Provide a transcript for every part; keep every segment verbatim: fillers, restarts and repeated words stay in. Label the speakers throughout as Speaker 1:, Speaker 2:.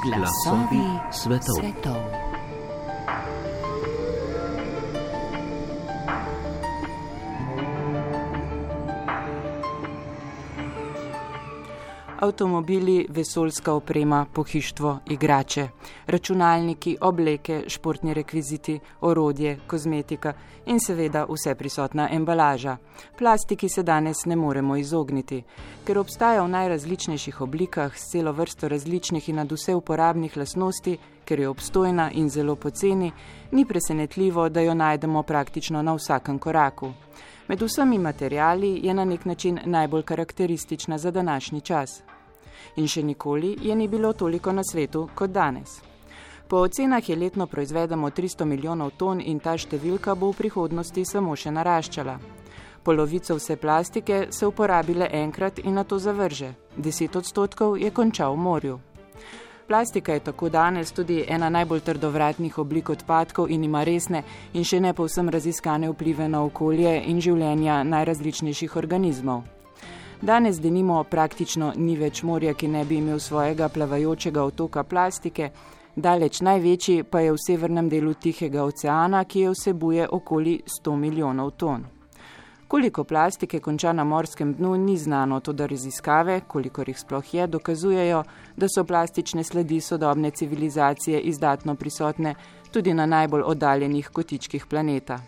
Speaker 1: Glasovi svetov. svetov. Avtomobili, vesoljska oprema, pohištvo, igrače, računalniki, obleke, športni rekviziti, orodje, kozmetika in seveda vse prisotna embalaža. Plastiki se danes ne moremo izogniti, ker obstaja v najrazličnejših oblikah s celo vrsto različnih in nadvse uporabnih lastnosti, ker je obstojna in zelo poceni, ni presenetljivo, da jo najdemo praktično na vsakem koraku. Med vsemi materiali je na nek način najbolj karakteristična za današnji čas. In še nikoli je ni bilo toliko na svetu kot danes. Po ocenah je letno proizvedemo tristo milijonov ton in ta številka bo v prihodnosti samo še naraščala. Polovico vse plastike se uporabi le enkrat in nato zavrže. Deset odstotkov je končal v morju. Plastika je tako danes tudi ena najbolj trdovratnih oblik odpadkov in ima resne in še ne povsem raziskane vplive na okolje in življenja najrazličnejših organizmov. Danes denimo praktično ni več morja, ki ne bi imel svojega plavajočega otoka plastike, daleč največji pa je v severnem delu Tihega oceana, ki je vsebuje okoli sto milijonov ton. Koliko plastike konča na morskem dnu, ni znano, toda raziskave, kolikor jih sploh je, dokazujejo, da so plastične sledi sodobne civilizacije izdatno prisotne tudi na najbolj oddaljenih kotičkih planeta.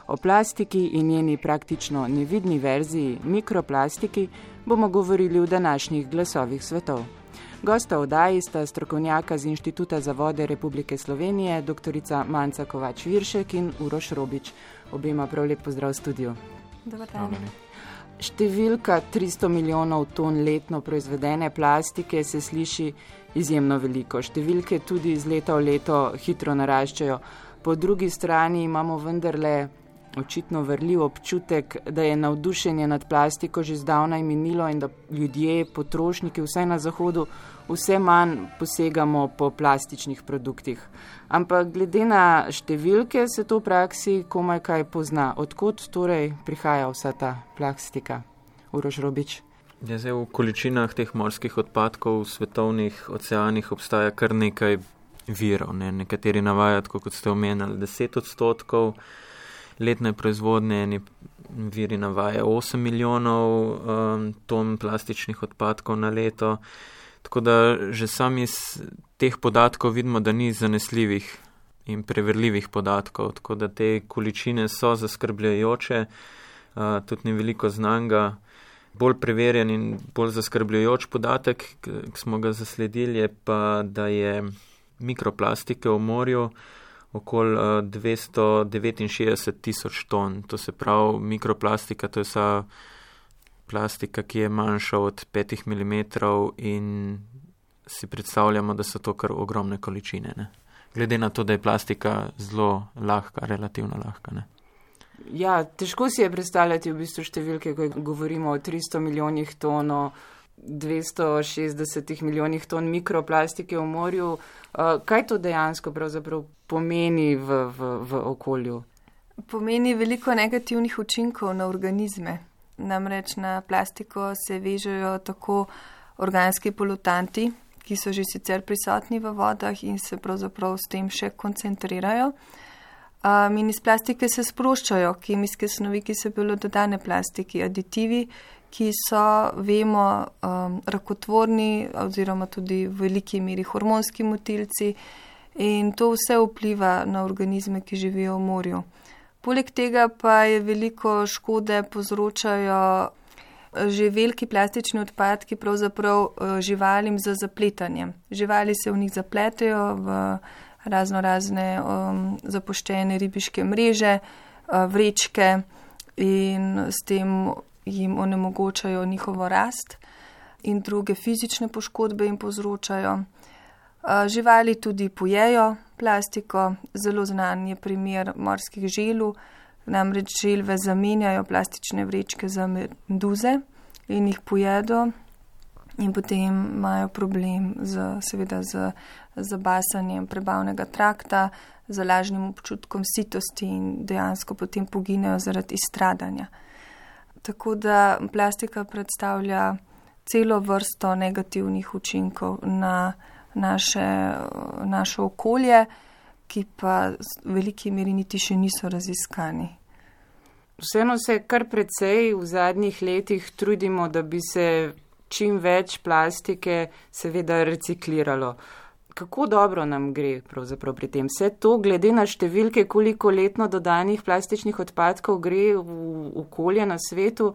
Speaker 1: O plastiki in njeni praktično nevidni verziji, mikroplastiki, bomo govorili v današnjih glasovih svetov. Gosta oddaji sta strokovnjaka z Inštituta za vode Republike Slovenije, doktorica Manca Kovač-Viršek in Uroš Robič. Obema prav lep pozdrav v studiu.
Speaker 2: Dobar dan.
Speaker 1: Številka tristo milijonov ton letno proizvedene plastike se sliši izjemno veliko. Številke tudi iz leta v leto hitro naraščajo. Po drugi strani imamo vendarle očitno vrljiv občutek, da je navdušenje nad plastiko že zdavnaj minilo in da ljudje, potrošniki, vsaj na zahodu, vse manj posegamo po plastičnih produktih. Ampak glede na številke se to v praksi komaj kaj pozna. Odkot torej prihaja vsa ta plastika? Uroš Robič.
Speaker 3: Ja, zdaj v količinah teh morskih odpadkov v svetovnih oceanih obstaja kar nekaj virov. Ne? Nekateri navajajo, kot ste omenjali, deset odstotkov letne proizvodnje, eni viri navajajo osem milijonov um, ton plastičnih odpadkov na leto. Tako da že sami iz teh podatkov vidimo, da ni zanesljivih in preverljivih podatkov. Tako da te količine so zaskrbljujoče, uh, tudi ni veliko znanga. Bolj preverjen in bolj zaskrbljujoč podatek, ki smo ga zasledili, je pa, da je mikroplastike v morju okoli dvesto devetinšestdeset tisoč ton. To se pravi, mikroplastika, to je vsa plastika, ki je manjša od petih milimetrov in si predstavljamo, da so to kar ogromne količine. Ne? Glede na to, da je plastika zelo lahka, relativno lahka. Ne?
Speaker 1: Ja, težko si je predstavljati v bistvu številke, ko govorimo o tristo milijonih ton, o dvesto šestdeset milijonih ton mikroplastike v morju. Kaj to dejansko pravzaprav pomeni v, v, v okolju?
Speaker 2: Pomeni veliko negativnih učinkov na organizme. Namreč na plastiko se vežejo tako organski polutanti, ki so že sicer prisotni v vodah in se pravzaprav s tem še koncentrirajo. Um, in iz plastike se sproščajo kemijske snovi, ki so bile dodane plastiki, aditivi, ki so, vemo, um, rakotvorni oziroma tudi v veliki meri hormonski motilci in to vse vpliva na organizme, ki živijo v morju. Poleg tega pa je veliko škode povzročajo že veliki plastični odpadki pravzaprav živalim za zapletanjem. Živali se v njih zapletejo v razno razne um, zapuščene ribiške mreže, uh, vrečke in s tem jim onemogočajo njihovo rast in druge fizične poškodbe jim povzročajo. Uh, živali tudi pojejo plastiko, zelo znan je primer morskih želv, namreč želve zamenjajo plastične vrečke za meduze in jih pojedo in potem imajo problem z, seveda z zabasanjem prebavnega trakta, z lažnim občutkom sitosti in dejansko potem poginejo zaradi izstradanja. Tako da plastika predstavlja celo vrsto negativnih učinkov na naše, naše okolje, ki pa v veliki meri niti še niso raziskani.
Speaker 1: Vseeno se kar precej v zadnjih letih trudimo, da bi se čim več plastike seveda recikliralo. Kako dobro nam gre pravzaprav pri tem? Vse to, glede na številke, koliko letno dodanih plastičnih odpadkov gre v okolje na svetu,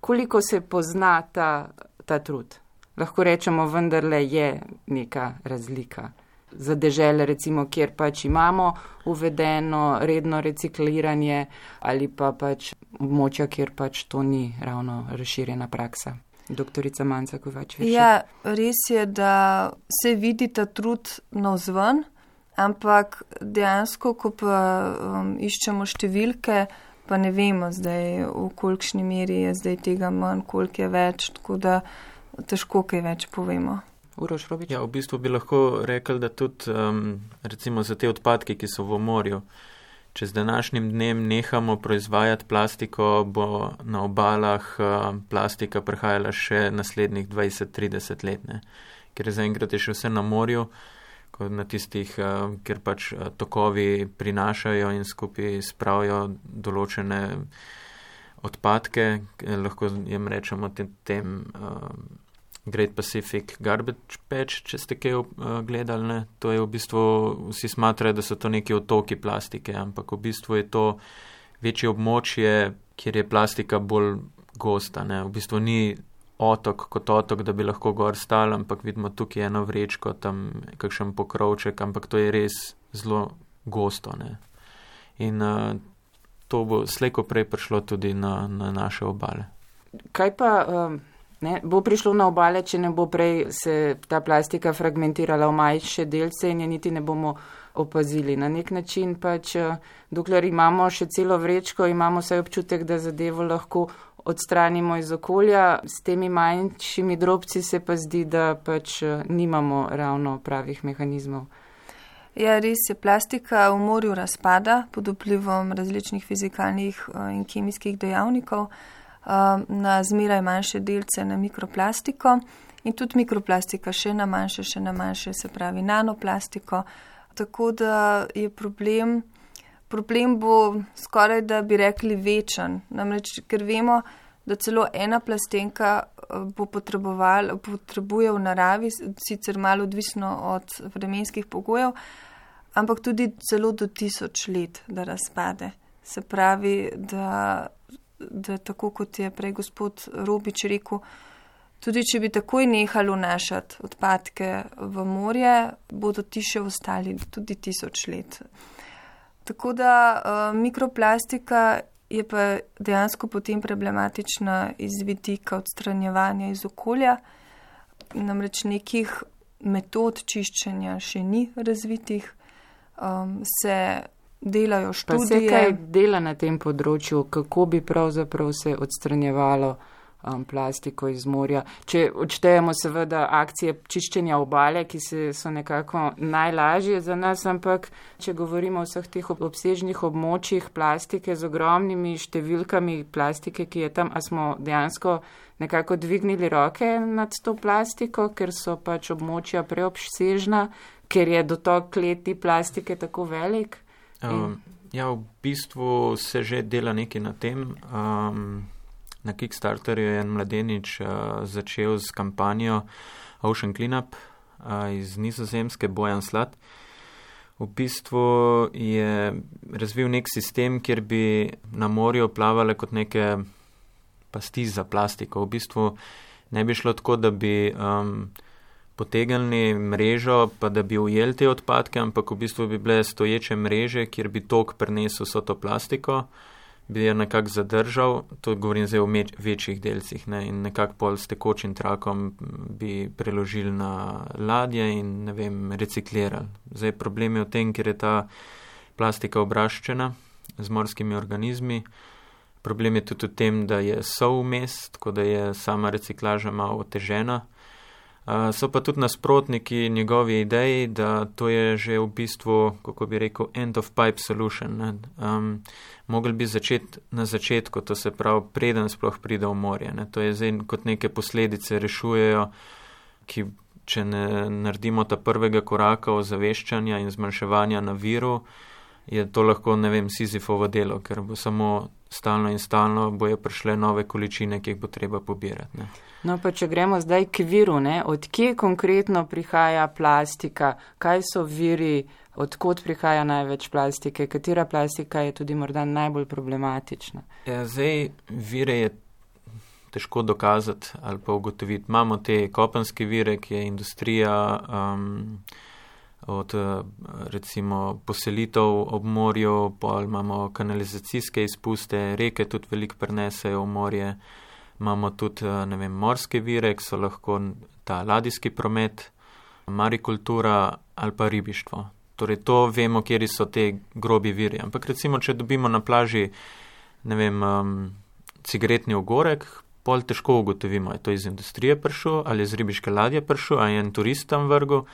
Speaker 1: koliko se pozna ta, ta trud? Lahko rečemo, vendarle je neka razlika. Za dežele, recimo, kjer pač imamo uvedeno redno recikliranje ali pa pač območja, kjer pač to ni ravno razširjena praksa. Doktorica Manca Kovač-Viršek.
Speaker 2: Ja, res je, da se vidi ta trud navzven, ampak dejansko, ko pa um, iščemo številke, pa ne vemo zdaj, v kolikšni meri je zdaj tega manj, koliko je več, tako da težko kaj več povemo.
Speaker 1: Uroš Robič?
Speaker 3: Ja, v bistvu bi lahko rekli, da tudi um, recimo za te odpadke, ki so v morju, če z današnjim dnem nehamo proizvajati plastiko, bo na obalah uh, plastika prihajala še naslednjih dvajset trideset let, ne? Ker zaenkrat je še vse na morju, kot na tistih, uh, kjer pač uh, tokovi prinašajo in skupaj spravijo določene odpadke, lahko jim rečemo tem, tem uh, Great Pacific Garbage Patch, če ste kaj uh, gledali, ne? To je v bistvu, vsi smatrajo, da so to neki otoki plastike, ampak v bistvu je to večje območje, kjer je plastika bolj gosta, ne? V bistvu ni otok kot otok, da bi lahko gor stal, ampak vidimo tukaj eno vrečko, tam kakšen pokrovček, ampak to je res zelo gosto, ne? In uh, to bo slejko prej prišlo tudi na, na naše obale.
Speaker 1: Kaj pa... Um... Ne, bo prišlo na obale, če ne bo prej se ta plastika fragmentirala v manjše delce in je niti ne bomo opazili. Na nek način pač, dokler imamo še celo vrečko, imamo vsaj občutek, da zadevo lahko odstranimo iz okolja. S temi manjšimi drobci se pa zdi, da pač nimamo ravno pravih mehanizmov.
Speaker 2: Ja, res je, plastika v morju razpada pod vplivom različnih fizikalnih in kemijskih dejavnikov na zmeraj manjše delce, na mikroplastiko in tudi mikroplastika še na manjše, še na manjše, se pravi nanoplastiko. Tako da je problem, problem bo skoraj, da bi rekli, večen. Namreč, ker vemo, da celo ena plastenka bo potreboval, potrebuje v naravi, sicer malo odvisno od vremenskih pogojev, ampak tudi celo do tisoč let, da razpade. Se pravi, da da tako kot je prej gospod Robič rekel, tudi če bi takoj nehali vnašati odpadke v morje, bodo ti še ostali tudi tisoč let. Tako da uh, mikroplastika je pa dejansko potem problematična iz vidika odstranjevanja iz okolja, namreč nekih metod čiščenja še ni razvitih, um, se delajo študije.
Speaker 1: Pa se kaj dela na tem področju, kako bi pravzaprav se odstranjevalo um, plastiko iz morja. Če odštejemo seveda akcije čiščenja obale, ki se, so nekako najlažje za nas, ampak če govorimo o vseh teh obsežnih območjih plastike z ogromnimi številkami plastike, ki je tam, a smo dejansko nekako dvignili roke nad to plastiko, ker so pač območja preobsežna, ker je dotok kleti plastike tako velik.
Speaker 3: Um, ja, v bistvu se že dela nekaj na tem. Um, na Kickstarterju je en mladenič uh, začel s kampanjo Ocean Cleanup uh, iz Nizozemske, Bojan Slad. V bistvu je razvil nek sistem, kjer bi na morju plavale kot neke pasti za plastiko. V bistvu ne bi šlo tako, da bi um, potegnili mrežo, pa da bi ujeli te odpadke, ampak v bistvu bi bile stoječe mreže, kjer bi tok prenesel vso to plastiko, bi jo nekako zadržal, to govorim zdaj o meč, večjih delcih, ne, in nekako pol s tekočim trakom bi preložili na ladje in, ne vem, reciklirali. Zdaj problem je v tem, ker je ta plastika obraščena z morskimi organizmi. Problem je tudi v tem, da je sol vmes, tako da je sama reciklaža malo otežena. Uh, so pa tudi nasprotniki njegovi ideji, da to je že v bistvu, kako bi rekel, end of pipe solution. Ne? Um, mogli bi začeti na začetku, to se pravi, preden sploh pride v morje. Ne? To je zdaj kot neke posledice rešujejo, ki če ne naredimo ta prvega koraka ozaveščanja in zmanjševanja na viru, je to lahko, ne vem, Sizifovo delo, ker bo samo stalno in stalno bojo prišle nove količine, ki jih bo treba pobirati. Ne.
Speaker 1: No, pa če gremo zdaj k viru, ne, od kje konkretno prihaja plastika, kaj so viri, odkot prihaja največ plastike, katera plastika je tudi morda najbolj problematična?
Speaker 3: Ja, zdaj vire je težko dokazati ali pa ugotoviti. Imamo te kopenske vire, ki je industrija, um, od recimo poselitev ob morju, pol imamo kanalizacijske izpuste, reke tudi veliko prenesejo v morje, imamo tudi, ne vem, morske vire, ki so lahko ta ladijski promet, marikultura ali pa ribištvo. Torej to vemo, kjeri so te grobi viri. Ampak recimo, če dobimo na plaži, ne vem, um, cigaretni ogorek, pol težko ugotovimo, je to iz industrije prišel, ali je z ribiške ladje prišel, ali je en turist tam vrgel.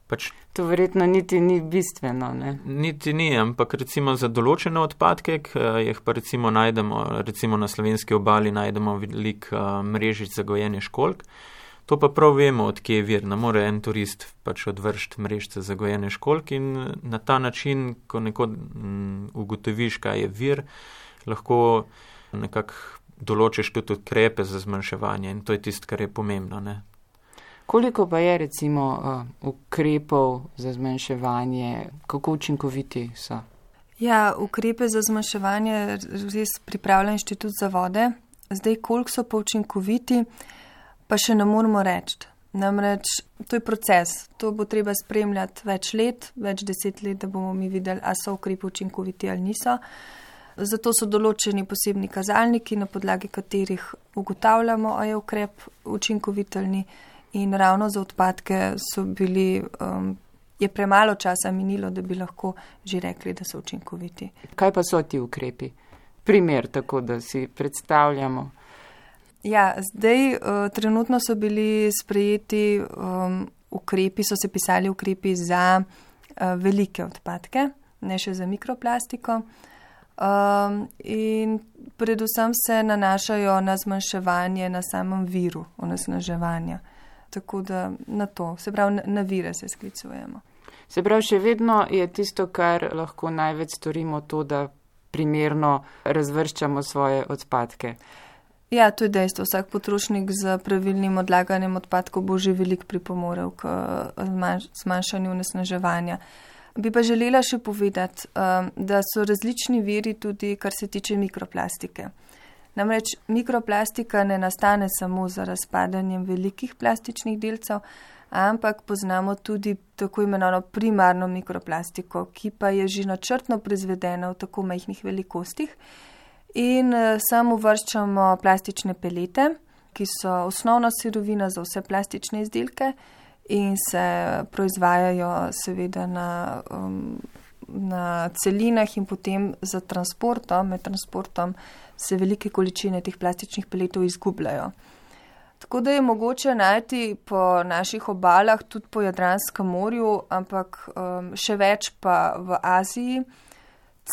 Speaker 3: Pač,
Speaker 1: to verjetno niti ni bistveno, ne?
Speaker 3: Niti ni, ampak recimo za določene odpadke, jih pa recimo najdemo, recimo na slovenski obali najdemo veliko uh, mrežic za gojenje školjk. To pa prav vemo, od kje je vir. Ne more en turist pač odvršiti mrežice za gojenje školjk in na ta način, ko neko um, ugotoviš, kaj je vir, lahko nekako določiš tudi ukrepe za zmanjševanje in to je tisto, kar je pomembno, ne?
Speaker 1: Koliko pa je recimo uh, ukrepov za zmanjševanje, kako učinkoviti so?
Speaker 2: Ja, ukrepe za zmanjševanje res pripravlja Inštitut za vode. Zdaj, koliko so pa učinkoviti, pa še ne moramo reči. Namreč, to je proces. To bo treba spremljati več let, več deset let, da bomo mi videli, a so ukrepi učinkoviti ali niso. Zato so določeni posebni kazalniki, na podlagi katerih ugotavljamo, a je ukrep učinkovit ali ni. In ravno za odpadke so bili, um, je premalo časa minilo, da bi lahko že rekli, da so učinkoviti.
Speaker 1: Kaj pa so ti ukrepi? Primer, tako da si predstavljamo.
Speaker 2: Ja, zdaj uh, trenutno so bili sprejeti um, ukrepi, so se pisali ukrepi za uh, velike odpadke, ne še za mikroplastiko. Um, in predvsem se nanašajo na zmanjševanje na samem viru onesnaževanja. Tako da na to, se pravi, na, na vire se sklicujemo.
Speaker 1: Se pravi, še vedno je tisto, kar lahko največ storimo, to, da primerno razvrščamo svoje odpadke.
Speaker 2: Ja, to je dejstvo. Vsak potrošnik z pravilnim odlaganjem odpadkov bo že veliko pripomorel k zmanjšanju onesnaževanja. Bi pa želela še povedati, da so različni viri tudi, kar se tiče mikroplastike. Namreč mikroplastika ne nastane samo za razpadanjem velikih plastičnih delcev, ampak poznamo tudi tako imenovano primarno mikroplastiko, ki pa je že načrtno proizvedena v tako majhnih velikostih. In sem uvrščamo plastične pelete, ki so osnovna sirovina za vse plastične izdelke in se proizvajajo seveda na, um, na celinah in potem za transportom, med transportom se velike količine teh plastičnih peletov izgubljajo. Tako da je mogoče najti po naših obalah, tudi po Jadranskem morju, ampak um, še več pa v Aziji,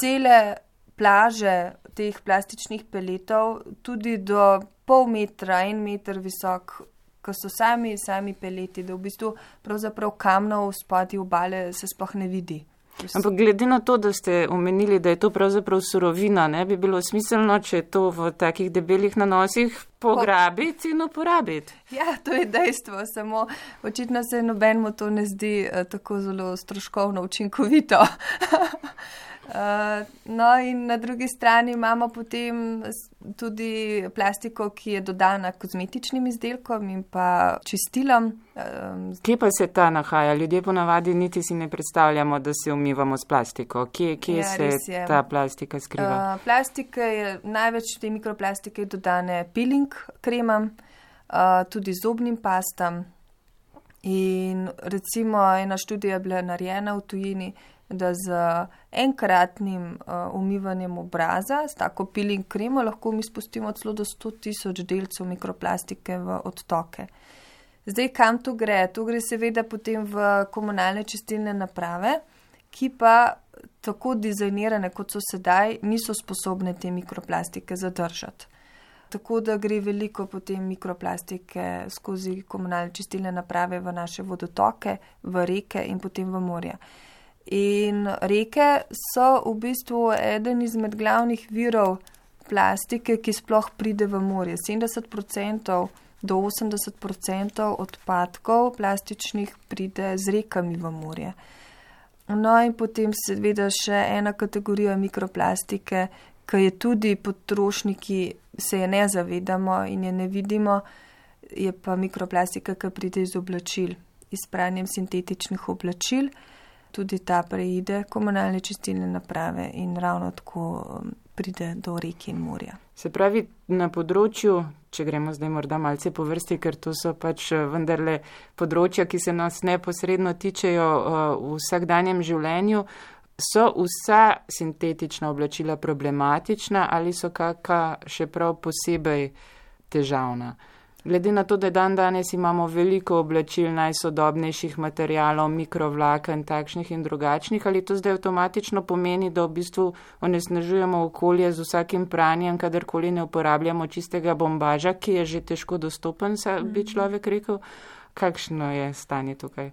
Speaker 2: cele plaže teh plastičnih peletov, tudi do pol metra, en meter visok, ko so sami, sami peleti, da v bistvu pravzaprav kamnov spodaj obale se sploh ne vidi.
Speaker 1: Ampak glede na to, da ste omenili, da je to pravzaprav surovina, ne bi bilo smiselno, če to v takih debelih nanosih pograbiti in uporabiti.
Speaker 2: Ja, to je dejstvo, samo očitno se nobenemu to ne zdi uh, tako zelo stroškovno učinkovito. Uh, no in na drugi strani imamo potem tudi plastiko, ki je dodana kozmetičnim izdelkom in pa čistilom. Um,
Speaker 1: kje pa se ta nahaja? Ljudje ponavadi niti si ne predstavljamo, da se umivamo s plastiko. Kje, kje ja, se ta plastika skriva?
Speaker 2: Uh, plastike je, največ te mikroplastike je dodane peeling kremam, uh, tudi zobnim pastam. In recimo ena študija je bila narejena v tujini, da z enkratnim uh, umivanjem obraza, s tako peeling kremo, lahko mi spustimo celo do sto tisoč delcev mikroplastike v odtoke. Zdaj, kam to gre? To gre seveda potem v komunalne čistilne naprave, ki pa tako dizajnirane, kot so sedaj, niso sposobne te mikroplastike zadržati. tako da gre veliko potem mikroplastike skozi komunalne čistilne naprave v naše vodotoke, v reke in potem v morja. In reke so v bistvu eden izmed glavnih virov plastike, ki sploh pride v morje. sedemdeset procentov do osemdeset procentov odpadkov plastičnih pride z rekami v morje. No in potem seveda še ena kategorija mikroplastike, ki je tudi potrošniki, se je ne zavedamo in je ne vidimo, je pa mikroplastika, ki pride iz oblačil, iz pranjem sintetičnih oblačil. Tudi ta preide komunalne čistilne naprave in ravno tako pride do reke in morja.
Speaker 1: Se pravi, na področju, če gremo zdaj morda malce po vrsti, ker to so pač vendarle področja, ki se nas neposredno tičejo v vsakdanjem življenju, so vsa sintetična oblačila problematična ali so kakšna še prav posebej težavna? Glede na to, da dan danes imamo veliko oblačil najsodobnejših materialov, mikrovlaken, takšnih in drugačnih, ali to zdaj avtomatično pomeni, da v bistvu onesnažujemo okolje z vsakim pranjem, kadarkoli ne uporabljamo čistega bombaža, ki je že težko dostopen, bi človek rekel. Kakšno je stanje tukaj?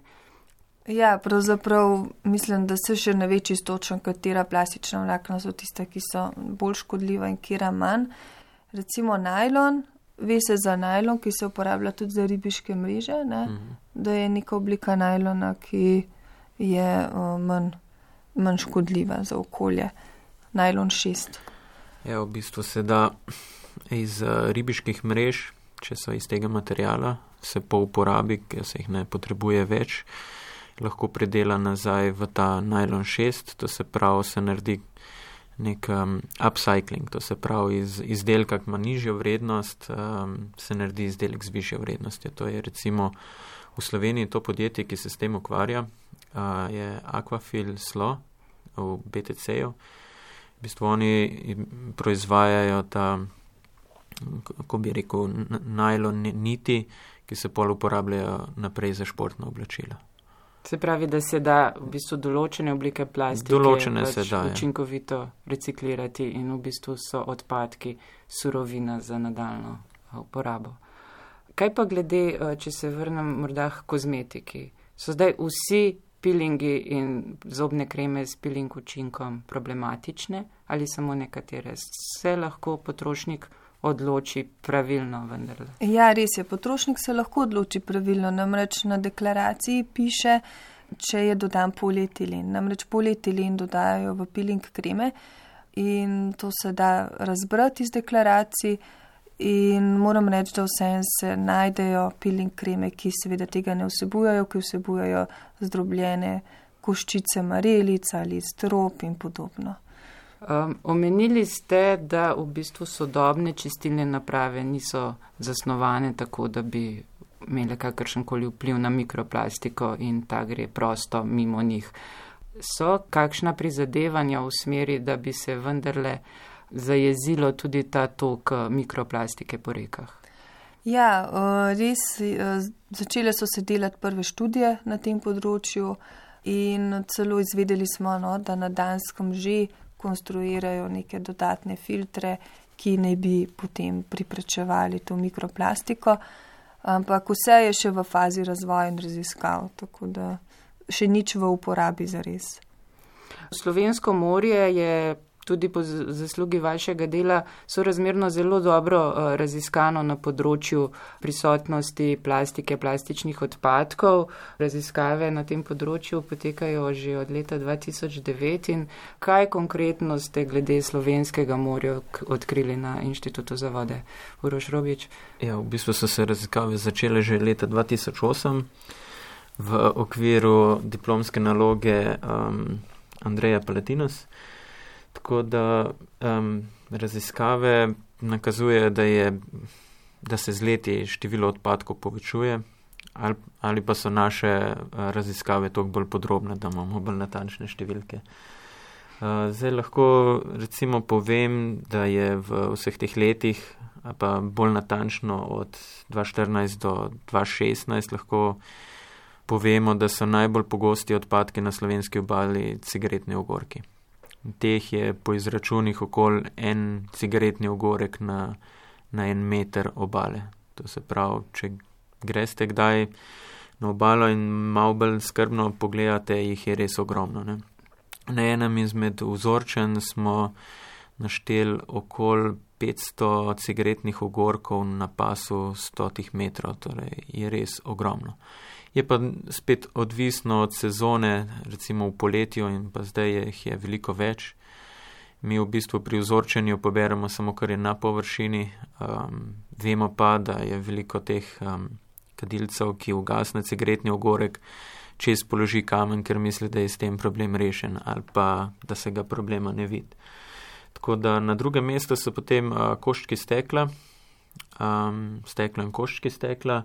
Speaker 2: Ja, pravzaprav mislim, da se še ne ve čisto točno, katera plastična vlakna so tiste, ki so bolj škodljiva in katera manj. Recimo najlon. Ve se za najlon, ki se uporablja tudi za ribiške mreže, ne? Mhm. Da je neka oblika najlona, ki je uh, manj, manj škodljiva za okolje. Najlon šest.
Speaker 3: Ja, v bistvu se da iz uh, ribiških mrež, če so iz tega materijala, se po uporabi, ker se jih ne potrebuje več, lahko predela nazaj v ta najlon šest, to se pravi, se naredi nek um, upcycling, to se pravi iz izdelka, ki ima nižjo vrednost, um, se naredi izdelek z višjo vrednostjo. To je recimo v Sloveniji to podjetje, ki se s tem ukvarja, uh, je Aquafil Slo v B T C-ju. V bistvu oni proizvajajo ta, kako bi rekel, najlon niti, ki se pol uporabljajo naprej za športna oblačila.
Speaker 1: Se pravi, da se da v bistvu določene oblike plastike
Speaker 3: določene
Speaker 1: pač
Speaker 3: se da,
Speaker 1: učinkovito reciklirati in v bistvu so odpadki surovina za nadaljno uporabo. Kaj pa glede, če se vrnem morda k kozmetiki? So zdaj vsi pilingi in zobne kreme s piling učinkom problematične ali samo nekatere? Se lahko potrošnik odloči pravilno vendarle?
Speaker 2: Ja, res je, potrošnik se lahko odloči pravilno, namreč na deklaraciji piše, če je dodan polietilen. Namreč polietilen dodajajo v piling kreme in to se da razbrati iz deklaracij in moram reči, da vse se najdejo piling kreme, ki seveda tega ne vsebujajo, ki vsebujajo zdrobljene koščice marelic ali strop in podobno.
Speaker 1: Um, omenili ste, da v bistvu sodobne čistilne naprave niso zasnovane tako, da bi imele kakršenkoli vpliv na mikroplastiko in ta gre prosto mimo njih. So kakšna prizadevanja v smeri, da bi se vendarle zajezilo tudi ta tok mikroplastike po rekah?
Speaker 2: Ja, res, začele so se delati prve študije na tem področju in celo izvedeli smo, no, da na Danskem že konstruirajo neke dodatne filtre, ki ne bi potem priprečevali to mikroplastiko, ampak vse je še v fazi razvoja in raziskav, tako da še nič v uporabi zares.
Speaker 1: Slovensko morje je tudi po zaslugi vašega dela sorazmerno zelo dobro raziskano na področju prisotnosti plastike, plastičnih odpadkov. Raziskave na tem področju potekajo že od leta dva tisoč devet in kaj konkretno ste glede slovenskega morja odkrili na Inštitutu za vode? Uroš Robič?
Speaker 3: Ja, v bistvu so se raziskave začele že leta dva tisoč osem v okviru diplomske naloge um, Andreja Palatinos. Tako da um, raziskave nakazujejo, da, da se z leti število odpadkov povečuje ali, ali pa so naše uh, raziskave toliko bolj podrobne, da imamo bolj natančne številke. Uh, zdaj lahko recimo povem, da je v vseh teh letih, pa bolj natančno od dva tisoč štirinajst do dva tisoč šestnajst lahko povemo, da so najbolj pogosti odpadki na slovenski obali cigaretni ogorki. Teh je po izračunih okoli en cigaretni ogorek na, na en meter obale. To se pravi, če greste kdaj na obalo in malo bolj skrbno pogledate, jih je res ogromno. Ne? Na enem izmed vzorčen smo našteli okoli petsto cigaretnih ogorkov na pasu stotih metrov, torej je res ogromno. Je pa spet odvisno od sezone, recimo v poletju in pa zdaj jih je veliko več. Mi v bistvu pri vzorčenju poberemo samo, kar je na površini. Um, vemo pa, da je veliko teh um, kadilcev, ki ugasne cigaretni ogorek, čez položi kamen, ker misli, da je s tem problem rešen ali pa, da se ga problema ne vidi. Tako da na drugem mestu so potem uh, koščki stekla, um, stekla in koščki stekla.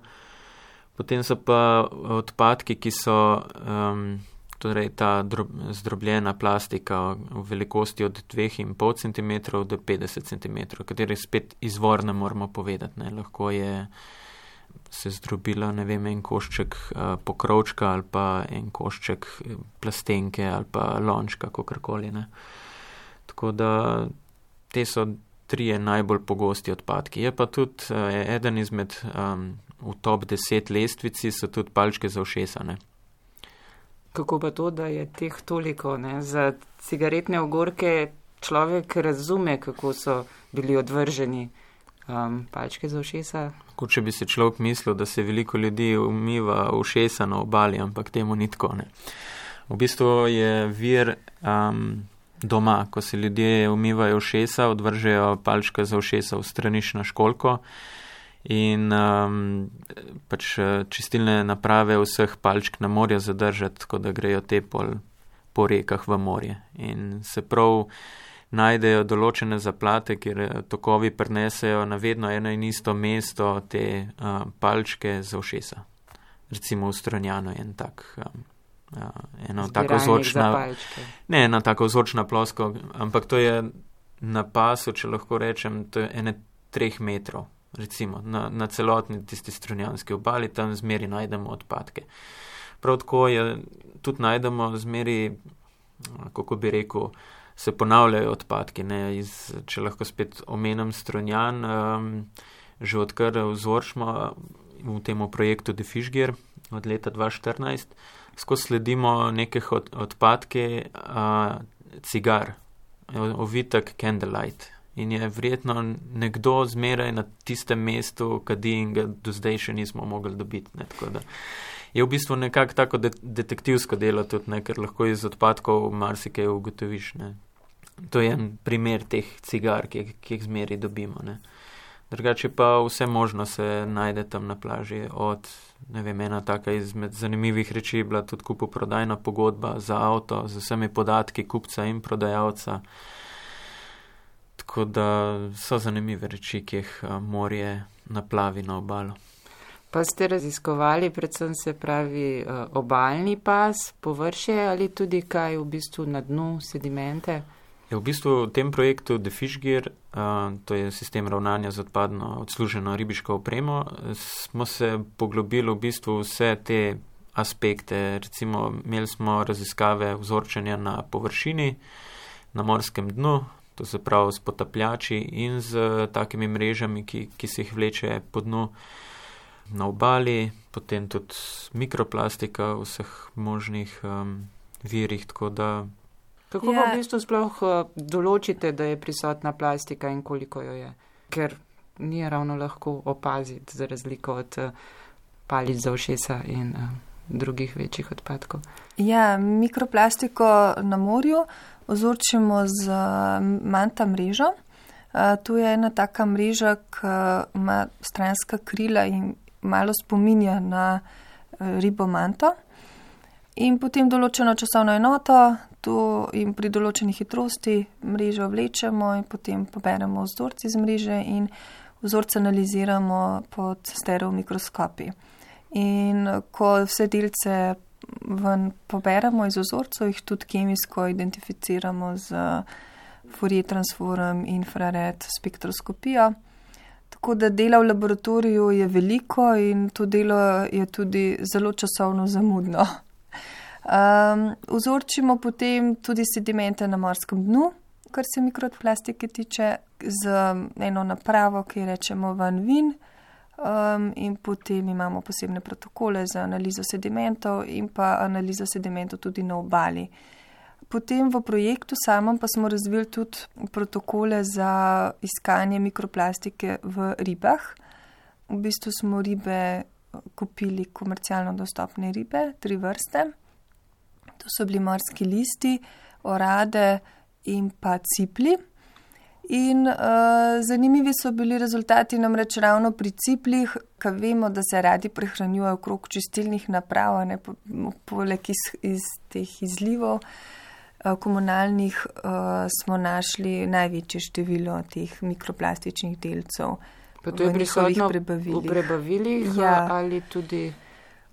Speaker 3: Potem so pa odpadki, ki so um, torej ta drob, zdrobljena plastika v velikosti od dva in pol centimetra do petdeset centimetrov, kateri spet izvor ne moramo povedati. Ne. Lahko je se zdrobila, ne vem, en košček uh, pokrovčka ali pa en košček plastenke ali pa lončka, kakorkoli. Ne. Tako da te so trije najbolj pogosti odpadki. Je pa tudi uh, eden izmed um, v top deset lestvici so tudi palčke za ušesa. Ne.
Speaker 1: Kako pa to, da je teh toliko? Ne? Za cigaretne ogorke človek razume, kako so bili odvrženi. Um, palčke za ušesa?
Speaker 3: Kot če bi se človek mislil, da se veliko ljudi umiva ušesa na obali, ampak temu ni tako. Ne. V bistvu je vir um, doma, ko se ljudje umivajo ušesa, odvržejo palčke za ušesa v straniš na školko in um, pač čistilne naprave vseh palčk na morje zadržati, tako da grejo te pol po rekah v morje. In se prav najdejo določene zaplate, kjer tokovi prinesejo na vedno eno in isto mesto te uh, palčke za ušesa. Recimo v Strunjanu je en tak, um, uh, eno tako vzorčna, ne ena tako vzorčna plosko, ampak to je na pasu, če lahko rečem, to je ene treh metrov. Recimo, na, na celotni tisti strunjanski obali, tam zmeri najdemo odpadke. Prav tako je, tudi najdemo zmeri, kako bi rekel, se ponavljajo odpadki. Ne? Iz, če lahko spet omenim Strunjan, um, že odkar vzorčimo v temu projektu The Fish Gear od leta dva tisoč štirinajst, skozi sledimo nekih od, odpadke uh, cigar, ovitek Candlelight. In je verjetno nekdo zmeraj na tistem mestu kadi in ga do zdaj še nismo mogli dobiti. Ne? Tako da je v bistvu nekako tako de- detektivsko delo tudi, ne? Ker lahko iz odpadkov marsikaj ugotoviš. Ne? To je en primer teh cigar, ki, ki jih zmeraj dobimo. Ne? Drugače pa vse možno se najde tam na plaži. Od, ne vem, ena taka izmed zanimivih reči je bila tudi kupoprodajna pogodba za avto z vsemi podatki kupca in prodajalca. Tako da so zanimive reči, ki jih morje naplavi na obalo.
Speaker 1: Pa ste raziskovali predvsem se pravi obalni pas, površje ali tudi kaj v bistvu na dnu, sedimente?
Speaker 3: Je v bistvu v tem projektu The Fish Gear, to je sistem ravnanja z odpadno odsluženo ribiško opremo, smo se poglobili v bistvu vse te aspekte. Recimo imeli smo raziskave vzorčenja na površini, na morskem dnu, to se pravi s potapljači in z takimi mrežami, ki, ki se jih vleče po dnu na obali, potem tudi mikroplastika v vseh možnih um, virih, tako da...
Speaker 1: Kako ja. v bistvu sploh določite, da je prisotna plastika in koliko jo je? Ker ni ravno lahko opaziti za razliko od palic za ušesa in uh, drugih večjih odpadkov.
Speaker 2: Ja, mikroplastiko na morju vzorčimo z manta mrežo. Tu je ena taka mreža, ki ima stranska krila in malo spominja na ribo manto. In potem določeno časovno enoto, tu in pri določeni hitrosti mrežo vlečemo in potem poberemo vzorci z mreže in vzorce analiziramo pod stereomikroskopi. In ko vse delce ven poberemo iz vzorcev, jih tudi kemijsko identificiramo z Fourier transform, infrared spektroskopijo. Tako da dela v laboratoriju je veliko in to delo je tudi zelo časovno zamudno. Um, vzorčimo potem tudi sedimente na morskem dnu kar se mikroplastike tiče, z eno napravo, ki rečemo vanvin, um, in potem imamo posebne protokole za analizo sedimentov in pa analizo sedimentov tudi na obali. Potem v projektu samem pa smo razvili tudi protokole za iskanje mikroplastike v ribah. V bistvu smo ribe kupili komercialno dostopne ribe, tri vrste. To so bili morski listi, orade in pa cipli. In uh, zanimivi so bili rezultati namreč ravno pri ciplih, ker vemo, da se radi prehranjujejo okrog čistilnih naprav, ne, po, poleg iz, iz teh izlivov uh, komunalnih uh, smo našli največje število teh mikroplastičnih delcev.
Speaker 1: Pa to je prisotno v prebavilih, ja. Ali tudi...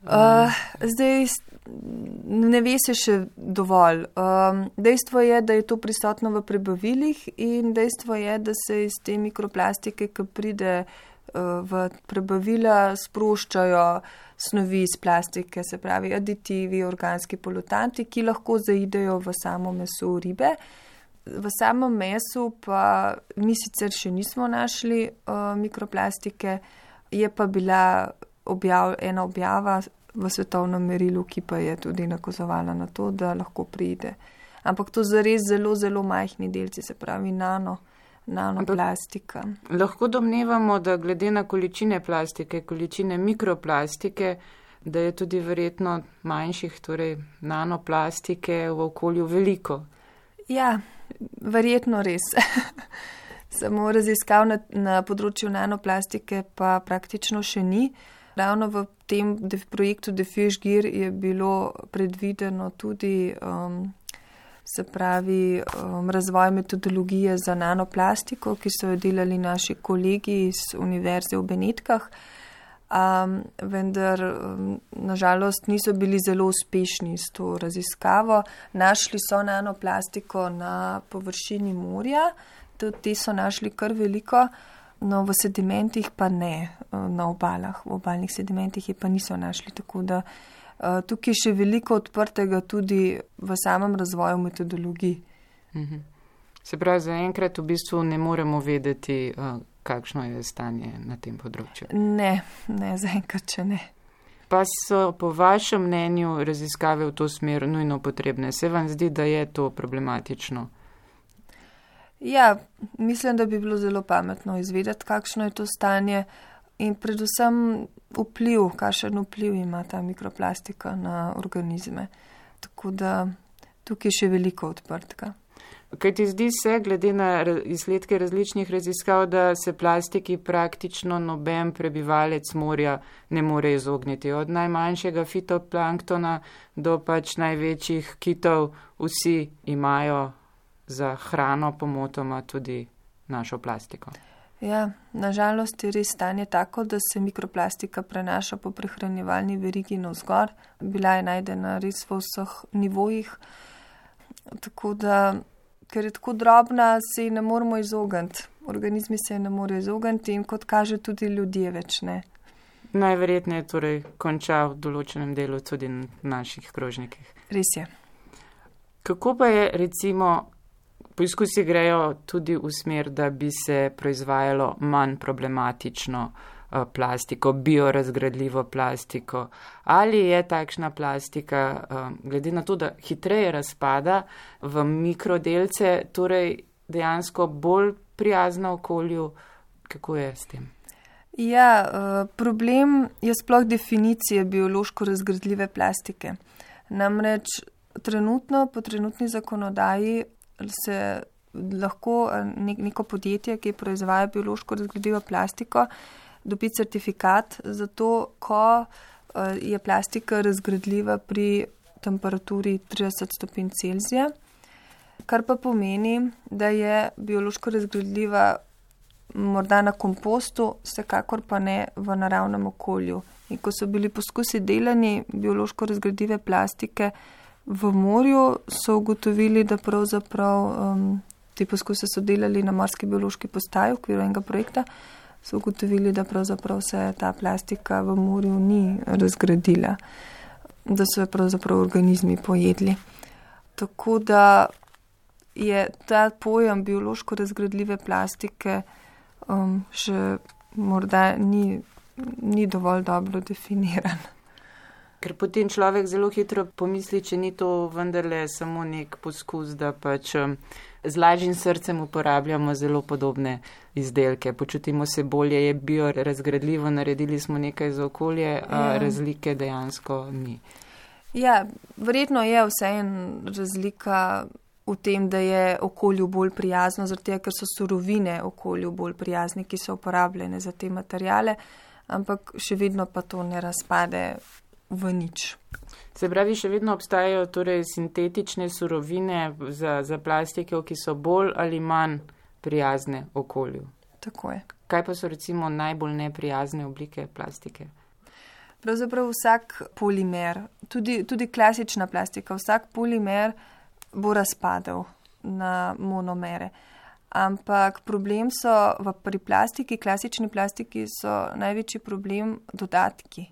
Speaker 2: Uh, zdaj ne ve se še dovolj. Um, dejstvo je, da je to prisotno v prebavilih in dejstvo je, da se iz te mikroplastike, ki pride uh, v prebavila, sproščajo snovi iz plastike, se pravi aditivi, organski polutanti, ki lahko zaidejo v samo meso ribe. V samem mesu pa mi sicer še nismo našli uh, mikroplastike, je pa bila objav, ena objava v svetovnem merilu, ki pa je tudi nakazovala na to, da lahko pride. Ampak to zares zelo, zelo majhni delci, se pravi nano, nanoplastika.
Speaker 1: Lahko domnevamo, da glede na količine plastike, količine mikroplastike, da je tudi verjetno manjših, torej nanoplastike v okolju veliko.
Speaker 2: Ja, verjetno res. Samo raziskav na, na področju nanoplastike pa praktično še ni. Ravno v tem projektu The Fish Gear je bilo predvideno tudi um, se pravi um, razvoj metodologije za nanoplastiko, ki so jo delali naši kolegi iz Univerze v Benetkah, um, vendar um, nažalost niso bili zelo uspešni s to raziskavo. Našli so nanoplastiko na površini morja, tudi te so našli kar veliko. No, v sedimentih pa ne, na obalah, v obalnih sedimentih je pa niso našli, tako da uh, tukaj je še veliko odprtega tudi v samem razvoju metodologij.
Speaker 1: Mhm. Se pravi, zaenkrat v bistvu ne moremo vedeti, uh, kakšno je stanje na tem področju.
Speaker 2: Ne, ne, zaenkrat še ne.
Speaker 1: Pa so po vašem mnenju raziskave v to smer nujno potrebne? Se vam zdi, da je to problematično?
Speaker 2: Ja, mislim, da bi bilo zelo pametno izvedeti, kakšno je to stanje in predvsem vpliv, kakšen vpliv ima ta mikroplastika na organizme. Tako da tukaj je še veliko odprtega.
Speaker 1: Kaj ti zdi se, glede na izsledke različnih raziskav, da se plastiki praktično noben prebivalec morja ne more izogniti? Od najmanjšega fitoplanktona do pač največjih kitov vsi imajo za hrano pomotoma tudi našo plastiko.
Speaker 2: Ja, nažalost je res stanje tako, da se mikroplastika prenaša po prehranjevalni verigi navzgor. Bila je najdena res v vseh nivojih. Tako da, ker je tako drobna, se ji ne moremo izogniti. Organizmi se ji ne morejo izogniti in kot kaže tudi ljudje več ne.
Speaker 1: Najverjetneje torej konča v določenem delu tudi na naših krožnikih.
Speaker 2: Res je.
Speaker 1: Kako pa je recimo poizkusi grejo tudi v smer, da bi se proizvajalo manj problematično uh, plastiko, biorazgradljivo plastiko. Ali je takšna plastika, uh, glede na to, da hitreje razpada v mikrodelce, torej dejansko bolj prijazna okolju? Kako je s tem?
Speaker 2: Ja, uh, problem je sploh definicije biološko razgradljive plastike. Namreč trenutno, po trenutni zakonodaji, se lahko neko podjetje, ki proizvaja biološko razgradljivo plastiko, dobi certifikat za to, ko je plastika razgradljiva pri temperaturi trideset stopinj Celzija, kar pa pomeni, da je biološko razgradljiva morda na kompostu, vsekakor pa ne v naravnem okolju. In ko so bili poskusi delani biološko razgradljive plastike v morju, so ugotovili, da pravzaprav um, te poskuse so delali na morski biološki postaji v okviru enega projekta, so ugotovili, da pravzaprav se ta plastika v morju ni razgradila, da so jo pravzaprav organizmi pojedli. Tako da je ta pojem biološko razgradljive plastike um, še morda ni, ni dovolj dobro definiran.
Speaker 1: Ker potem človek zelo hitro pomisli, če ni to vendarle samo nek poskus, da pač z lažjim srcem uporabljamo zelo podobne izdelke. Počutimo se bolje, je biorazgradljivo, naredili smo nekaj za okolje, a ja. Razlike dejansko ni.
Speaker 2: Ja, verjetno je vseeno razlika v tem, da je okolju bolj prijazno, zato ker so surovine okolju bolj prijazne, ki so uporabljene za te materijale, ampak še vedno pa to ne razpade v nič.
Speaker 1: Se pravi, še vedno obstajajo torej sintetične surovine za, za plastike, ki so bolj ali manj prijazne okolju.
Speaker 2: Tako je.
Speaker 1: Kaj pa so recimo najbolj neprijazne oblike plastike?
Speaker 2: Pravzaprav vsak polimer, tudi, tudi klasična plastika, vsak polimer bo razpadel na monomere. Ampak problem so v, pri plastiki, klasični plastiki so največji problem dodatki.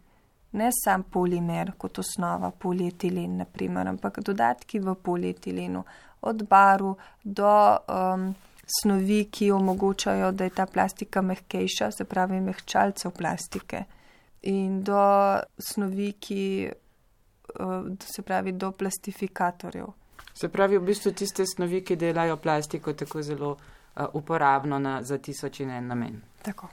Speaker 2: Ne sam polimer kot osnova, polietilen naprimer, ampak dodatki v polietilenu. Od barv do um, snovi, ki omogočajo, da je ta plastika mehkejša, se pravi mehčalcev plastike. In do snovi, ki, uh, se pravi do plastifikatorjev.
Speaker 1: Se pravi, v bistvu tiste snovi, ki delajo plastiko tako zelo uh, uporabno na, za tisoč in en namen.
Speaker 2: Tako.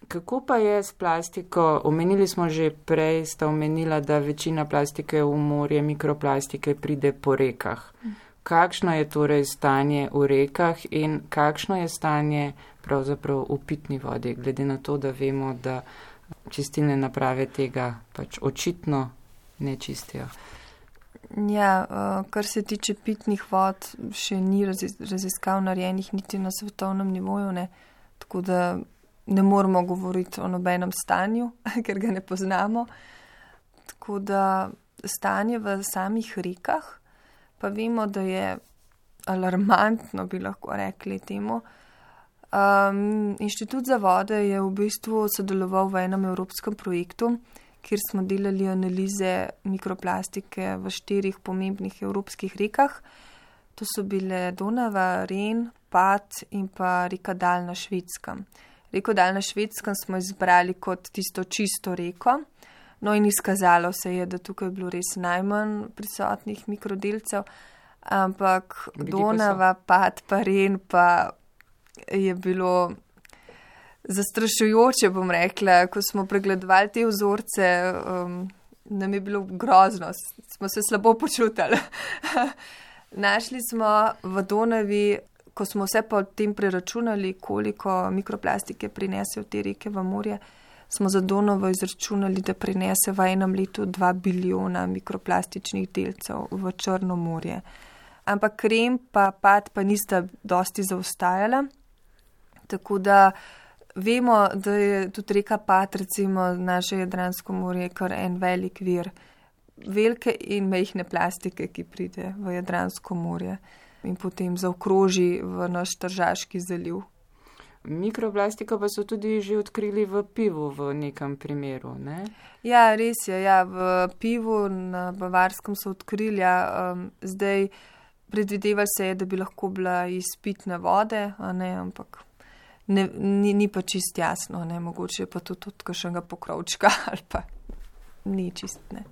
Speaker 1: Kako pa je s plastiko? Omenili smo že prej, sta omenila, da večina plastike v morje, mikroplastike pride po rekah. Kakšno je torej stanje v rekah in kakšno je stanje pravzaprav v pitni vodi, glede na to, da vemo, da čistilne naprave tega pač očitno ne čistijo?
Speaker 2: Ja, kar se tiče pitnih vod, še ni raziskav narejenih niti na svetovnem nivoju, ne? Tako da ne moramo govoriti o nobenem stanju, ker ga ne poznamo. Tako da stanje v samih rekah, pa vemo, da je alarmantno, bi lahko rekli temu. Um, Inštitut za vode je v bistvu sodeloval v enem evropskem projektu, kjer smo delali analize mikroplastike v štirih pomembnih evropskih rekah. To so bile Donava, Ren, Pad in pa reka Dal na Švedskem. Reko Dal na Švedskem smo izbrali kot tisto čisto reko, no in izkazalo se je, da tukaj je bilo res najmanj prisotnih mikrodelcev, ampak Donava, Pad pa Ren pa je bilo zastrašujoče, bom rekla, ko smo pregledovali te vzorce, um, nam je bilo grozno, smo se slabo počutili. Našli smo v Donavi, ko smo vse pa o tem preračunali, koliko mikroplastike prinese v te reke v morje, smo za Donavo izračunali, da prinese v enem letu dva bilijona mikroplastičnih delcev v Črno morje. Ampak Ren pa Pad pa nista dosti zaostajala, tako da vemo, da je tudi reka Pad, recimo naše Jadransko morje, kar en velik vir velike in majhne plastike, ki pride v Jadransko morje in potem zaokroži v naš Tržaški zaliv.
Speaker 1: Mikroplastiko pa so tudi že odkrili v pivu v nekem primeru, ne?
Speaker 2: Ja, res je, ja, v pivu na Bavarskem so odkrili, ja, um, zdaj predvidevali se je, da bi lahko bila iz pitne vode, a ne, ampak ne, ni, ni pa čist jasno, ne, mogoče pa tudi od kakšnega pokrovčka ali pa ni čist, ne.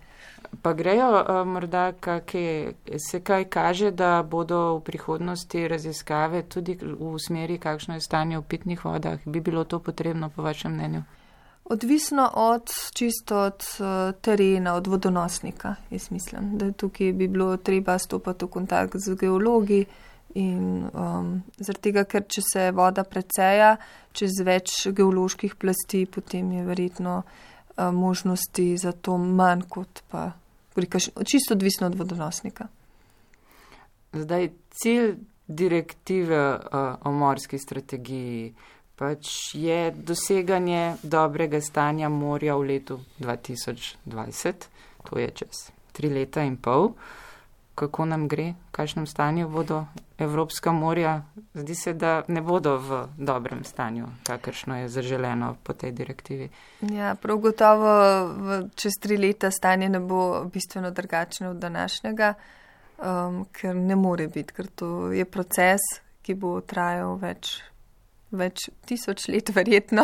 Speaker 1: Pa grejo uh, morda, kakje, se kaj kaže, da bodo v prihodnosti raziskave tudi v smeri, kakšno je stanje v pitnih vodah? Bi bilo to potrebno, po vašem mnenju?
Speaker 2: Odvisno od, čisto od uh, terena, od vodonosnika, jaz mislim, da tukaj bi bilo treba stopati v kontakt z geologi in um, zaradi tega, ker če se voda preceja čez več geoloških plasti, potem je verjetno uh, možnosti za to manj kot pa čisto odvisno od vodonosnika.
Speaker 1: Zdaj, cilj direktive uh, o morski strategiji pač je doseganje dobrega stanja morja v letu dva tisoč dvajset, to je čez tri leta in pol. Kako nam gre, v kakšnem stanju bodo evropska morja? Zdi se, da ne bodo v dobrem stanju, kakršno je zaželeno po tej direktivi.
Speaker 2: Ja, prav gotovo v, čez tri leta stanje ne bo bistveno drugačno od današnjega. um, ker ne more biti, ker to je proces, ki bo trajal več, več tisoč let verjetno.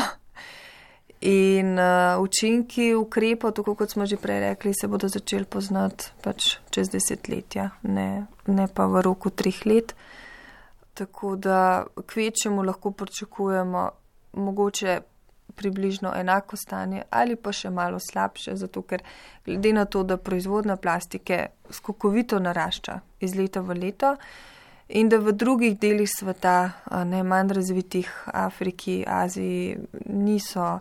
Speaker 2: In uh, učinki ukrepov, tako kot smo že prej rekli, se bodo začeli poznati pač čez desetletja, ne, ne pa v roku treh let. Tako da kvečemu lahko pričakujemo mogoče približno enako stanje ali pa še malo slabše, zato ker glede na to, da proizvodnja plastike skokovito narašča iz leta v leto in da v drugih delih sveta, ne manj razvitih, Afriki, Aziji, niso,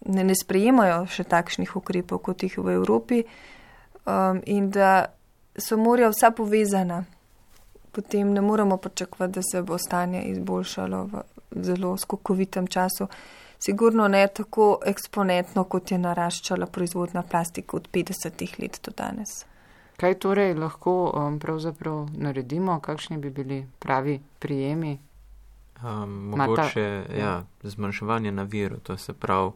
Speaker 2: ne, ne sprejemajo še takšnih ukrepov, kot jih v Evropi, um, in da so morja vsa povezana, potem ne moremo pričakovati, da se bo stanje izboljšalo v zelo skokovitem času. Sigurno ne tako eksponentno, kot je naraščala proizvodna plastika od petdesetih let do danes.
Speaker 1: Kaj torej lahko um, pravzaprav naredimo? Kakšni bi bili pravi prijemi?
Speaker 3: Um, mogoče, ja, zmanjševanje na viru, to se pravi,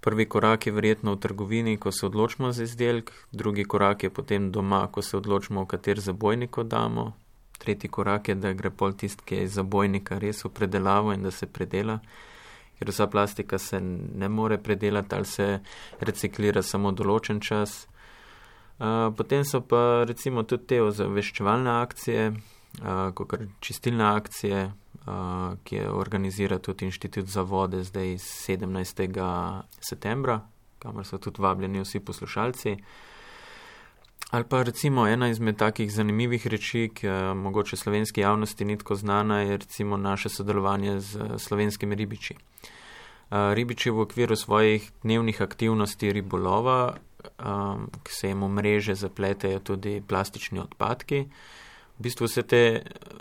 Speaker 3: prvi korak je verjetno v trgovini, ko se odločimo za izdelek, drugi korak je potem doma, ko se odločimo, v kater zabojnik damo, tretji korak je, da gre pol tist, ki je iz zabojnika res v predelavo in da se predela, ker vsa plastika se ne more predelati ali se reciklira samo določen čas. Uh, potem so pa recimo tudi te ozaveščevalne akcije, uh, kakor čistilne akcije, uh, ki je organizira tudi Inštitut za vode zdaj sedemnajstega septembra, kamor so tudi vabljeni vsi poslušalci. Ali pa recimo ena izmed takih zanimivih reči, ki mogoče slovenski javnosti ni tako znana, je recimo naše sodelovanje z slovenskimi ribiči. Ribiči v okviru svojih dnevnih aktivnosti ribolova, ki se jim v mreže zapletejo tudi plastični odpadki. V bistvu vse te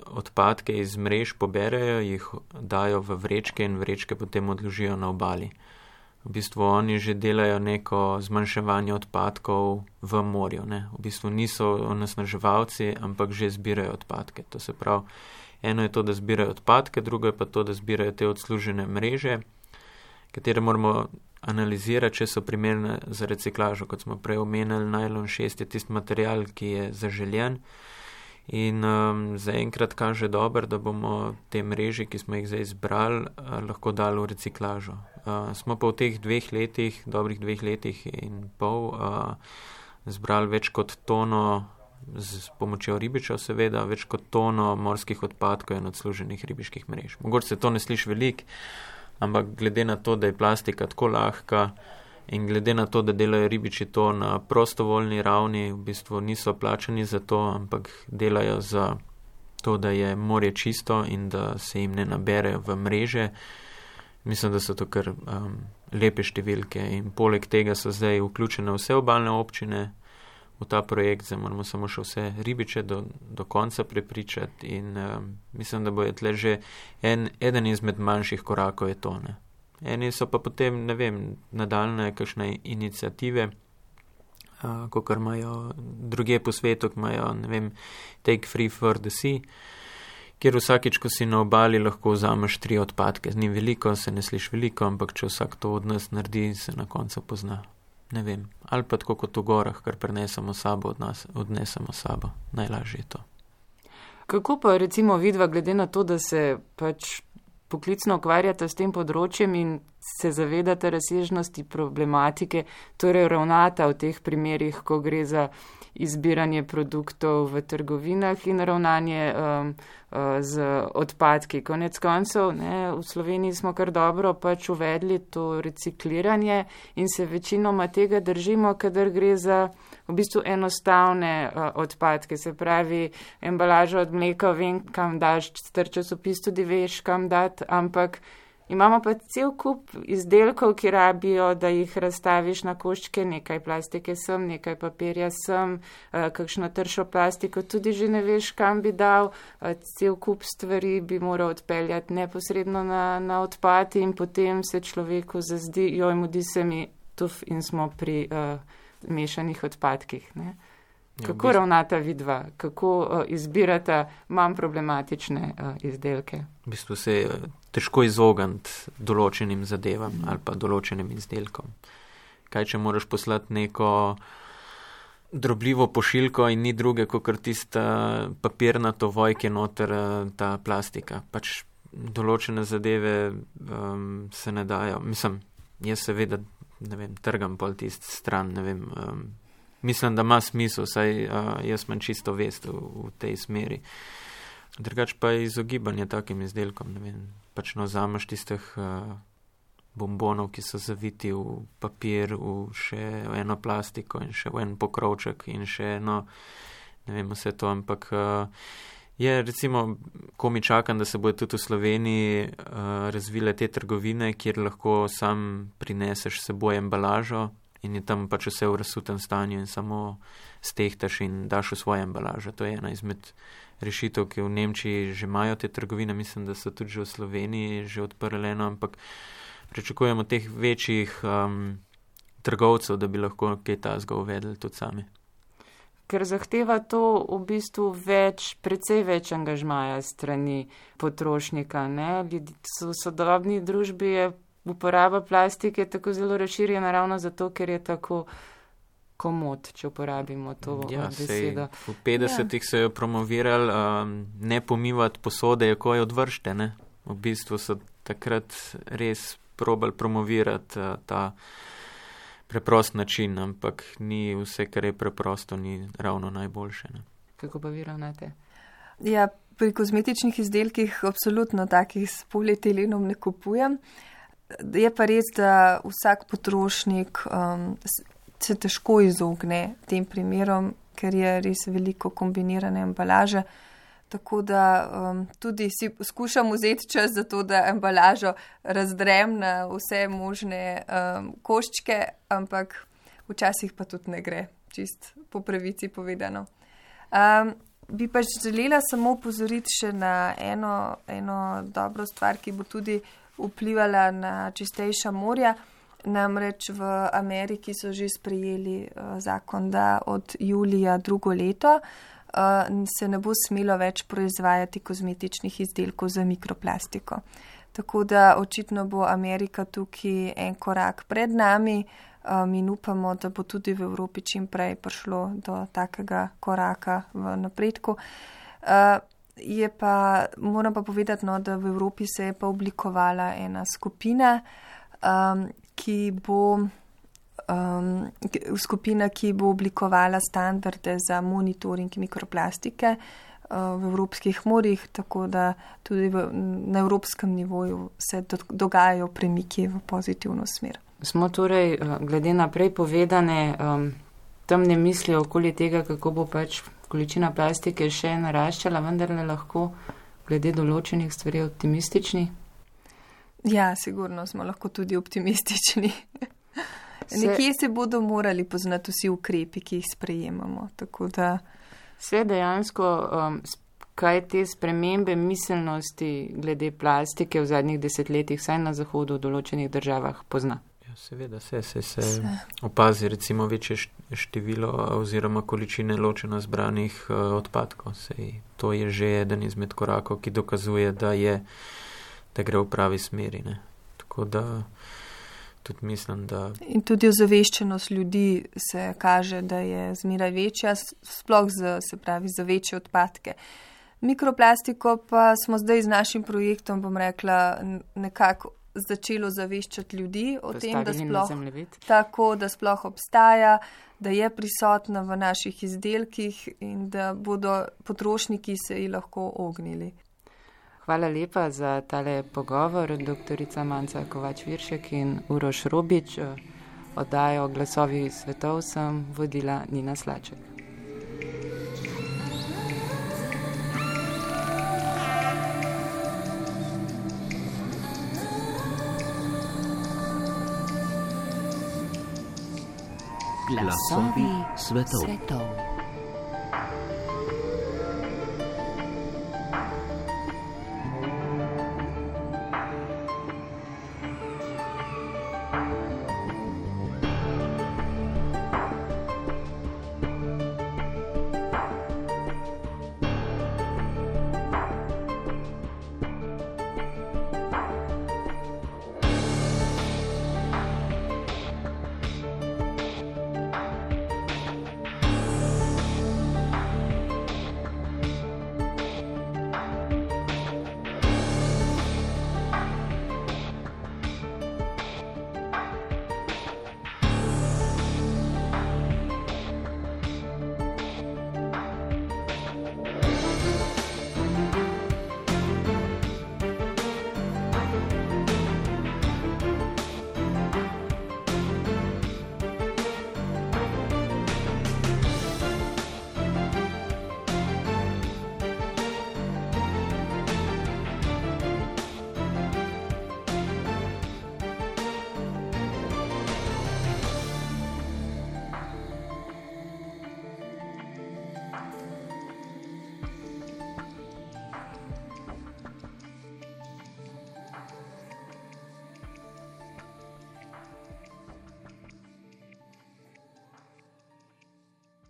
Speaker 3: odpadke iz mrež poberejo, jih dajo v vrečke in vrečke potem odložijo na obali. V bistvu oni že delajo neko zmanjševanje odpadkov v morju, ne. V bistvu niso onesnaževalci, ampak že zbirajo odpadke. To se pravi, eno je to, da zbirajo odpadke, drugo je pa to, da zbirajo te odslužene mreže, katere moramo analizirati, če so primerne za reciklažo. Kot smo prej omenili, najlon šest je tisti material, ki je zaželjen. In um, zaenkrat kaže dobro, da bomo te mreže, ki smo jih zdaj izbrali, uh, lahko dali v reciklažo. Uh, smo pa v teh dveh letih, dobrih dveh letih in pol, uh, zbrali več kot tono, z pomočjo ribičev seveda, več kot tono morskih odpadkov in odsluženih ribiških mrež. Mogoče se to ne sliši veliko, ampak glede na to, da je plastika tako lahka, in glede na to, da delajo ribiči to na prostovoljni ravni, v bistvu niso plačani za to, ampak delajo za to, da je morje čisto in da se jim ne naberejo v mreže. Mislim, da so to kar um, lepe številke in poleg tega so zdaj vključene vse obalne občine v ta projekt, zdaj moramo samo še vse ribiče do, do konca prepričati in um, mislim, da bo je tle že en, eden izmed manjših korakov je to, ne. Eni so pa potem, ne vem, nadaljne kakšne iniciative, uh, kakor imajo druge po svetu, ki imajo, ne vem, Take Free for the Sea, kjer vsakič, ko si na obali, lahko vzameš tri odpadke. Ni veliko, se ne sliši veliko, ampak če vsak to od nas naredi, se na koncu pozna. Ne vem. Ali pa tako kot v gorah, kar prenesemo sabo, od nas, odnesemo sabo. Najlažje je to.
Speaker 1: Kako pa recimo vidva, glede na to, da se pač poklicno ukvarjate s tem področjem in se zavedate razsežnosti problematike, torej ravnata v teh primerih, ko gre za izbiranje produktov v trgovinah in ravnanje um, uh, z odpadki. Konec koncev, ne, v Sloveniji smo kar dobro pač uvedli to recikliranje in se večinoma tega držimo, kadar gre za v bistvu enostavne uh, odpadke. Se pravi, embalaža od mleka, vem, kam daš, star časopis tudi veš, kam dati, ampak imamo pa cel kup izdelkov, ki rabijo, da jih razstaviš na koščke, nekaj plastike sem, nekaj papirja sem, kakšno tršo plastiko tudi že ne veš, kam bi dal, cel kup stvari bi moral odpeljati neposredno na, na odpad in potem se človeku zazdi, joj, mudi se mi tuf in smo pri uh, mešanih odpadkih, ne. Kako ja, ravnata vidva, kako uh, izbirata manj problematične uh, izdelke?
Speaker 3: V bistvu se je težko izogniti določenim zadevam ali pa določenim izdelkom. Kaj, če moraš poslati neko drobljivo pošiljko in ni druge, kot tista papirnato vojke noter ta plastika. Pač določene zadeve um, se ne dajo. Mislim, jaz seveda, ne vem, trgam pol tist stran, ne vem, um, mislim, da ima smisel, saj uh, jaz imam čisto vest v, v tej smeri. Drugač pa je izogibanje takim izdelkom, ne vem, pač no vzameš tistih uh, bombonov, ki so zaviti v papir, v še eno plastiko in še v en pokrovček in še eno, ne vem, vse to, ampak uh, je recimo, ko mi čakam, da se bodo tudi v Sloveniji uh, razvile te trgovine, kjer lahko sam prineseš s seboj embalažo in je tam pač vse v razsutem stanju in samo stehtaš in daš v svojo embalažo. To je ena izmed rešitev, ki v Nemčiji že imajo te trgovine, mislim, da so tudi že v Sloveniji že odprli eno, ampak pričakujemo teh večjih um, trgovcev, da bi lahko kaj tazga uvedli tudi sami.
Speaker 1: Ker zahteva to v bistvu več, precej več angažmaja strani potrošnika. Ne? V sodobni družbi je uporaba plastike tako zelo razširjena ravno zato, ker je tako komod, če uporabimo to
Speaker 3: ja,
Speaker 1: besedo.
Speaker 3: Sej, v petdesetih ja. Se je promoviral um, ne pomivati posode, ko je odvršte. Ne? V bistvu so takrat res probali promovirati uh, ta preprost način, ampak ni vse, kar je preprosto, ni ravno najboljše. Ne?
Speaker 1: Kako pa vi ravnate?
Speaker 2: Ja, pri kozmetičnih izdelkih absolutno takih s polietilenom ne kupujem. Je pa res, da vsak potrošnik um, se težko izogne tem primerom, ker je res veliko kombinirane embalaže. Tako da um, tudi si skušam vzeti čas za to, da embalažo razdrem na vse možne um, koščke, ampak včasih pa tudi ne gre, čist po pravici povedano. Um, bi pa želela samo upozoriti še na eno, eno dobro stvar, ki bo tudi vplivala na čistejša morja. Namreč v Ameriki so že sprejeli uh, zakon, da od julija drugo leto Uh, se ne bo smelo več proizvajati kozmetičnih izdelkov za mikroplastiko. Tako da očitno bo Amerika tukaj en korak pred nami um, in upamo, da bo tudi v Evropi čim prej prišlo do takega koraka v napredku. Uh, je pa, moram pa povedati, no, da v Evropi se je pa oblikovala ena skupina, um, ki bo Um, skupina, ki bo oblikovala standarde za monitoring mikroplastike uh, v evropskih morjih, tako da tudi v, na evropskem nivoju se do, dogajajo premiki v pozitivno smer.
Speaker 1: Smo torej, glede na prej povedane, um, temne misli okoli tega, kako bo pač količina plastike še naraščala, vendar le lahko glede določenih stvari optimistični?
Speaker 2: Ja, sigurno smo lahko tudi optimistični. Nekje se bodo morali poznati vsi ukrepi, ki jih sprejemamo. Tako da
Speaker 1: se dejansko, um, kaj te spremembe miselnosti glede plastike v zadnjih desetletjih, saj na zahodu v določenih državah pozna?
Speaker 3: Ja, seveda se, se, se, se opazi recimo večje število oziroma količine ločeno zbranih uh, odpadkov. Sej, to je že eden izmed korakov, ki dokazuje, da, je, da gre v pravi smeri. Ne? Tako da tudi mislim, da...
Speaker 2: In tudi ozaveščenost ljudi se kaže, da je zmeraj večja, sploh z, se pravi, za večje odpadke. Mikroplastiko pa smo zdaj z našim projektom, bom rekla, nekako začelo zaveščati ljudi o tem, da sploh, tako, da sploh obstaja, da je prisotna v naših izdelkih in da bodo potrošniki se ji lahko ognili.
Speaker 1: Hvala lepa za tale pogovor, doktorica Manca Kovač-Viršek in Uroš Robič. Oddajo Glasovi svetov sem vodila Nina Slaček.
Speaker 4: Glasovi svetov. svetov.